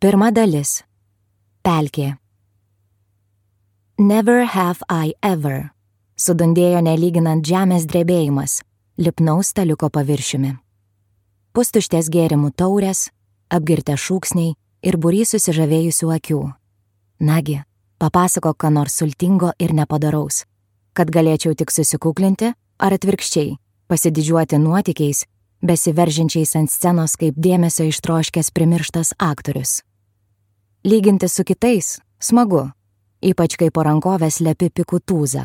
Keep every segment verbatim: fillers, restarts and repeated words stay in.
Pirma dalis. Pelkė. Never have I ever. Sudundėjo nelyginant žemės drebėjimas, lipnaus staliuko paviršiumi. Pustuštės gėrimų taurės, apgirtę šūksniai ir būrys susižavėjusių akių. Nagi, papasakok ką nors sultingo ir nepadaraus, kad galėčiau tik susikuklinti ar atvirkščiai, pasididžiuoti nuotykiais, besiveržinčiais ant scenos kaip dėmesio ištroškęs primirštas aktorius. Lyginti su kitais smagu, ypač kai po rankovės lepi pikų tūzą.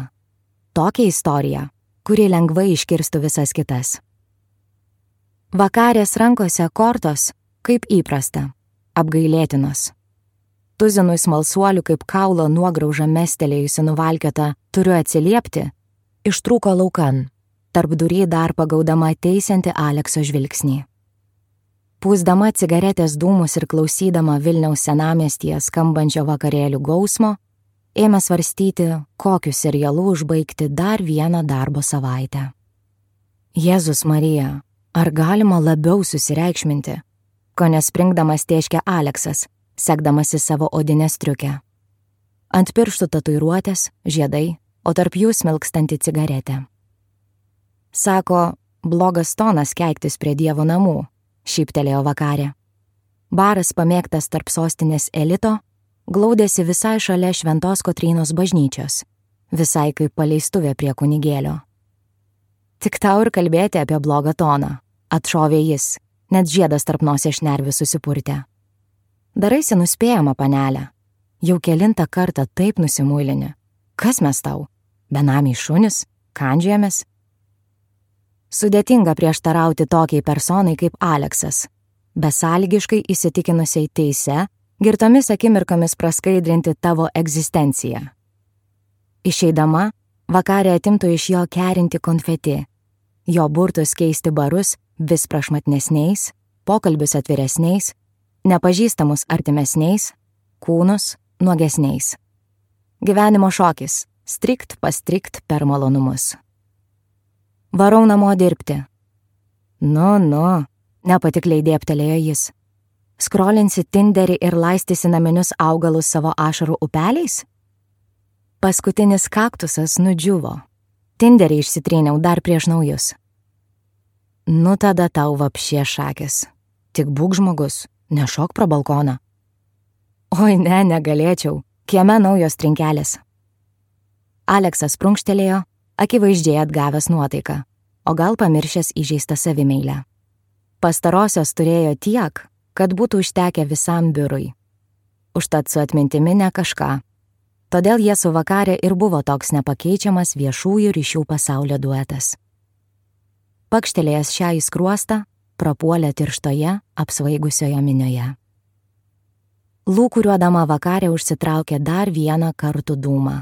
Tokia istorija, kuri lengvai iškirstų visas kitas. Vakarės rankose kortos, kaip įprasta, apgailėtinos. Tuzinui smalsuolių kaip kaulo nuograužą mestelėjusi nuvalkiota turiu atsiliepti, ištrūko laukan, tarp durį dar pagaudama teisianti Alekso žvilgsnį. Pūsdama cigaretės dūmus ir klausydama Vilniaus senamiestyje skambančio vakarėlių gausmo, ėmė svarstyti, kokiu serialu užbaigti dar vieną darbo savaitę. Jėzus Marija, ar galima labiau susireikšminti, ko nespringdamas tėškė Aleksas, sekdamasi savo odinę striukę. Ant pirštų tatuiruotės, žiedai, o tarp jų smilkstanti cigaretė. Sako, blogas tonas keiktis prie Dievo namų, šyptelėjo Vakarė. Baras pamėgtas tarp sostinės elito, glaudėsi visai šalia Šventos Kotrynos bažnyčios, visai kaip paleistuvė prie kunigėlio. Tik tau ir kalbėti apie blogą toną, atšovė jis, net žiedas tarp nosies šnervių susipurtė. Daraisi nuspėjama, panelė. Jau kelintą kartą taip nusimuilini. Kas mes tau? Benamiai šunis? Kandžiamės? Sudėtinga prieštarauti tokiai personai kaip Aleksas, besąlygiškai įsitikinusiai teise, girtomis akimirkomis praskaidrinti tavo egzistenciją. Išeidama, Vakarė atimtų iš jo kerinti konfeti, jo burtus keisti barus vis prašmatnesniais, pokalbius atviresniais, nepažįstamus artimesniais, kūnus nuogesniais. Gyvenimo šokis, strikt pastrikt per malonumus. Varau namo dirbti. Nu, nu, nepatikliai dėptelėjo jis. Skrolinsi Tinderį ir laistysi naminius augalus savo ašarų upeliais? Paskutinis kaktusas nudžiuvo. Tinderį išsitryniau dar prieš naujus. Nu tada tau vapšė šakis. Tik būk žmogus, nešok pro balkoną. Oi ne, negalėčiau, kieme naujos trinkelės. Aleksas prunkštelėjo, akivaizdžiai atgavęs nuotaiką, o gal pamiršęs įžeistą savimeilę. Pastarosios turėjo tiek, kad būtų užtekę visam biurui. Užtat su atmintimi ne kažką. Todėl jie su Vakarė ir buvo toks nepakeičiamas viešųjų ryšių pasaulio duetas. Pakštelėjęs šią į skruostą, prapuolė tirštoje, apsvaigusioje minioje. Lūkuriuodama Vakarė užsitraukė dar vieną kartų dūmą.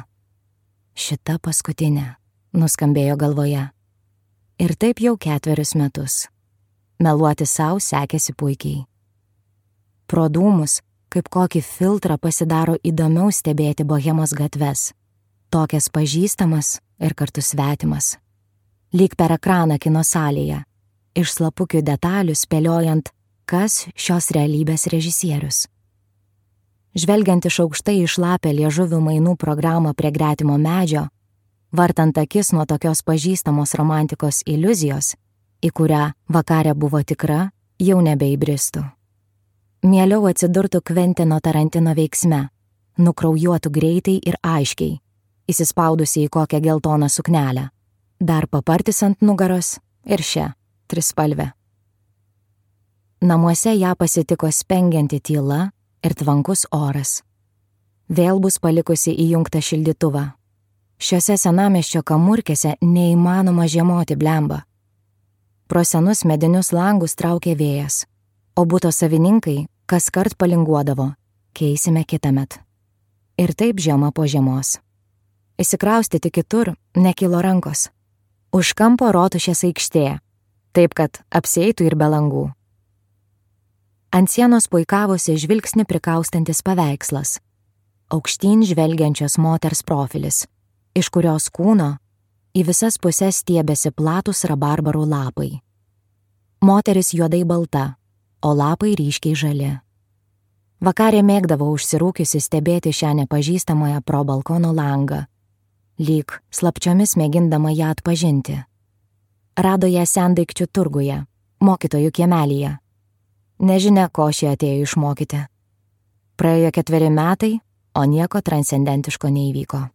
Šita paskutinė, nuskambėjo galvoje. Ir taip jau ketverius metus. Meluoti sau sekėsi puikiai. Pro dūmus, kaip kokį filtrą pasidaro įdomiau stebėti bohemos gatves, tokias pažįstamas ir kartu svetimas. Lyg per ekraną kino salėje, iš slapukių detalių spėliojant, kas šios realybės režisierius. Žvelgiant iš aukštai į šlapią liežuvių mainų programą prie gretimo medžio, vartant akis nuo tokios pažįstamos romantikos iliuzijos, į kurią Vakarė buvo tikra, jau nebeįbristų. Mieliau atsidurtų Kventino Tarantino veiksme, nukraujuotų greitai ir aiškiai, įsispaudusi į kokią geltoną suknelę, dar papartis ant nugaros ir šią, trispalvę. Namuose ją pasitiko spengianti tyla ir tvankus oras. Vėl bus palikusi įjungtą šildytuvą. Šiuose senamiesčio kamurkėse neįmanoma žiemoti blemba. Pro senus medinius langus traukė vėjas, o buto savininkai kaskart palinguodavo, keisime kitąmet. Ir taip žiema po žiemos. Įsikraustyti kitur nekilo rankos. Už kampo Rotušės aikštė, taip kad apsieitų ir be langų. Ant sienos puikavosi žvilgsnį prikaustantis paveikslas, aukštyn žvelgiančios moters profilis, iš kurios kūno į visas puses stiebėsi platūs rabarbarų lapai. Moteris juodai balta, o lapai ryškiai žali. Vakarė mėgdavo užsirūkiusi stebėti šią nepažįstamąją pro balkono langą, lyg slapčiomis mėgindama ją atpažinti. Rado ją sendaikčių turguje, mokytojų kiemelyje. Nežinia, ko šie atėjo išmokyti. Praėjo ketveri metai, o nieko transcendentiško neįvyko.